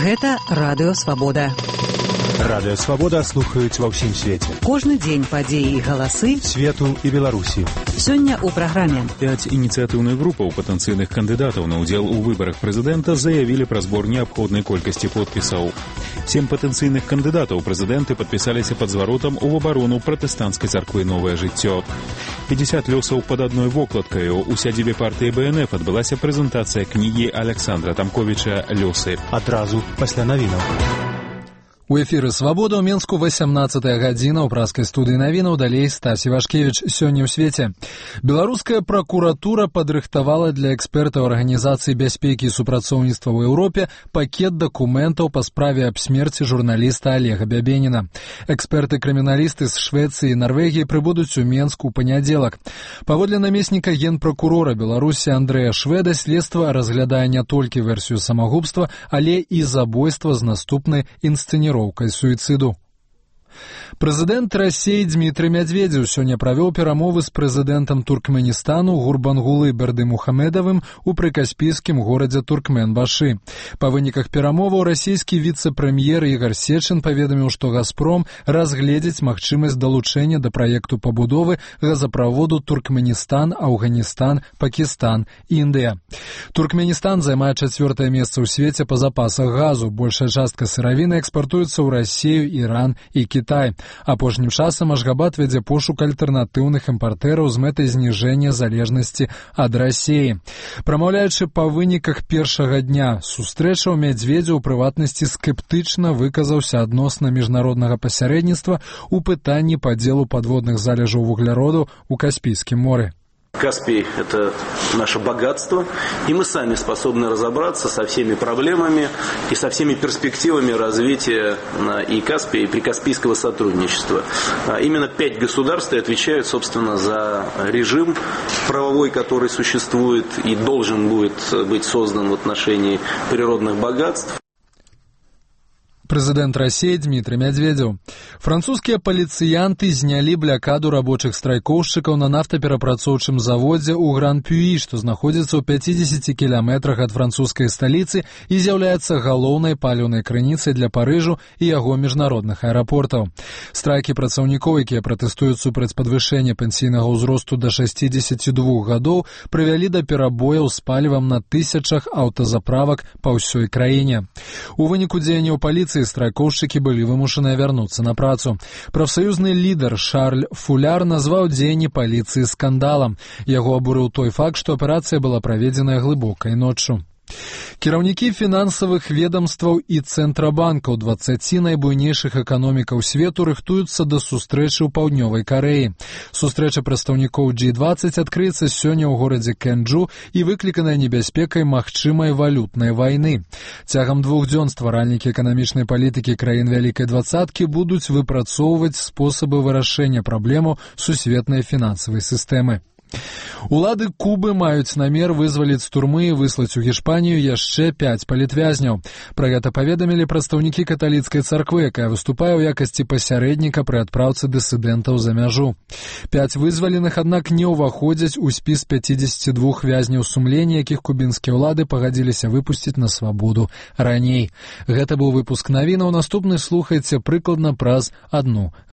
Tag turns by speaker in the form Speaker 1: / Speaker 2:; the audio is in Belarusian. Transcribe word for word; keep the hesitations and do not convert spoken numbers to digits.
Speaker 1: Гэта Радыё Свабода.
Speaker 2: Радыё Свабода слухаюць ва ўсім свеце.
Speaker 1: Кожны дзень падзеі і галасы
Speaker 2: свету і Беларусі.
Speaker 1: Сёння ў праграме.
Speaker 3: Пяць ініцыятыўных групаў патэнцыйных кандыдатаў на ўдзел у выбарах прэзідэнта заявілі пра збор неабходнай колькасці подпісаў. Сем патэнцыйных кандыдатаў прэзідэнты падпісаліся пад зваротам у абарону пратэстанцкай царквы «Новае жыццё». пятьдесят лёсаў пад адной вокладкаю. У сядзібе партыі Бэ Эн Эф адбылася прэзентацыя кнігі Александра Тамковіча «Лёсы».
Speaker 2: Адразу пасля навінаў.
Speaker 4: У эфіры «Свабода» ў Менску васямнаццатая гадзіна, ў праскай студыі навінаў, далей Стась Івашкевіч. Сёння ў свеце. Беларуская пракуратура падрыхтавала для экспертаў Арганізацыі бяспекі і супрацоўніцтва ў Еўропе пакет дакументаў па справе аб смерці журналіста Олега Бябеніна. Эксперты-крыміналісты з Швецыі і Нарвегіі прыбудуць у Менску ў панядзелак. Паводле намесніка генпракурора Беларусі Андрэя Шведа, следства разглядае не толькі версію самагубства, але і забойства з наступнай інсцэніроўкай суіцыду. Прэзідэнт Расіі Дмітрый Мядзведзеў сёння правёў перамовы з прэзідэнтам Туркменістану Гурбангулы Бердымухамедавым у прыкаспійскім горадзе Туркменбашы. Па выніках перамоваў расійскі віцэ-прэм'ер Ігар Сечин паведаміў, што «Газпром» разгледзіць магчымасць далучэння да праекту пабудовы газаправоду Туркменістан, Афганістан, Пакістан, Індыя. Туркменістан займае чацвёртае месца ў свеце па запасах газу. Большая частка сыравіны экспартуецца ў Расію, Іран і Кітай. Апошнім часам Ашгабад вядзе пошук альтэрнатыўных імпартэраў з мэтай зніжэння залежнасці ад Расіі. Прамаўляючы па выніках першага дня сустрэчаў, Мядзведзеў у прыватнасці скептычна выказаўся адносна міжнароднага пасярэдніцтва ў пытанні падзелу падводных залежаў вугляроду ў Каспійскім моры.
Speaker 5: Каспий – это наше богатство, и мы сами способны разобраться со всеми проблемами и со всеми перспективами развития и Каспия, и прикаспийского сотрудничества. Именно пять государств отвечают, собственно, за режим правовой, который существует и должен будет быть создан в отношении природных богатств.
Speaker 4: Прэзідэнт Расіі Дмітрый Мядзведзеў. Французскія паліцыянты знялі блякаду рабочых страйкоўшчыкаў на нафтаперапрацоўчым заводзе ў Гран-Пюі, што знаходзіцца ў пяцідзесяці кіламетрах ад французскай сталіцы і з'яўляецца галоўнай паліўнай крыніцай для Парыжу і яго міжнародных аэрапортаў. Страйкі працаўнікоў, якія пратэстуюць супраць падвышэння пенсійнага ўзросту да шэсцідзесяці двух гадоў, прывялі да перабояў з палівам на тысячах аўтазаправак па ўсёй краіне. У выніку дзеянняў паліцыі страйкоўшчыкі былі вымушаныя вярнуцца на працу. Прафсаюзны лідар Шарль Фуляр назваў дзеянні паліцыі скандалам. Яго абурыў той факт, што аперацыя была праведзеная глыбокай ноччу. Кіраўнікі фінансавых ведамстваў і цэнтрабанкаў дваццаці найбуйнейшых эканомікаў свету рыхтуюцца да сустрэчы ў Паўднёвай Карэі. Сустрэча прадстаўнікоў джі дваццаць адкрыецца сёння ў горадзе Кенджу і выкліканая небяспекай магчымай валютнай вайны. Цягам двух дзён стваральнікі эканамічнай палітыкі краін Вялікай дваццаткі будуць выпрацоўваць спосабы вырашэння праблемаў сусветнай фінансавай сістэмы. Улады Кубы маюць намер вызваліць з турмы і выслаць у Гішпанію яшчэ пяць палітвязняў. Пра гэта паведамілі прадстаўнікі каталіцкай царквы, якая выступае ў якасці пасярэдніка пры адпраўцы дысідэнтаў за мяжу. Пяць вызваленых, аднак, не ўваходзяць у спіс пяцідзесяці двух вязняў сумлення, якіх кубінскія ўлады пагадзіліся выпусціць на свабоду раней. Гэта быў выпуск навінаў. Наступны слухайце прыкладна праз адну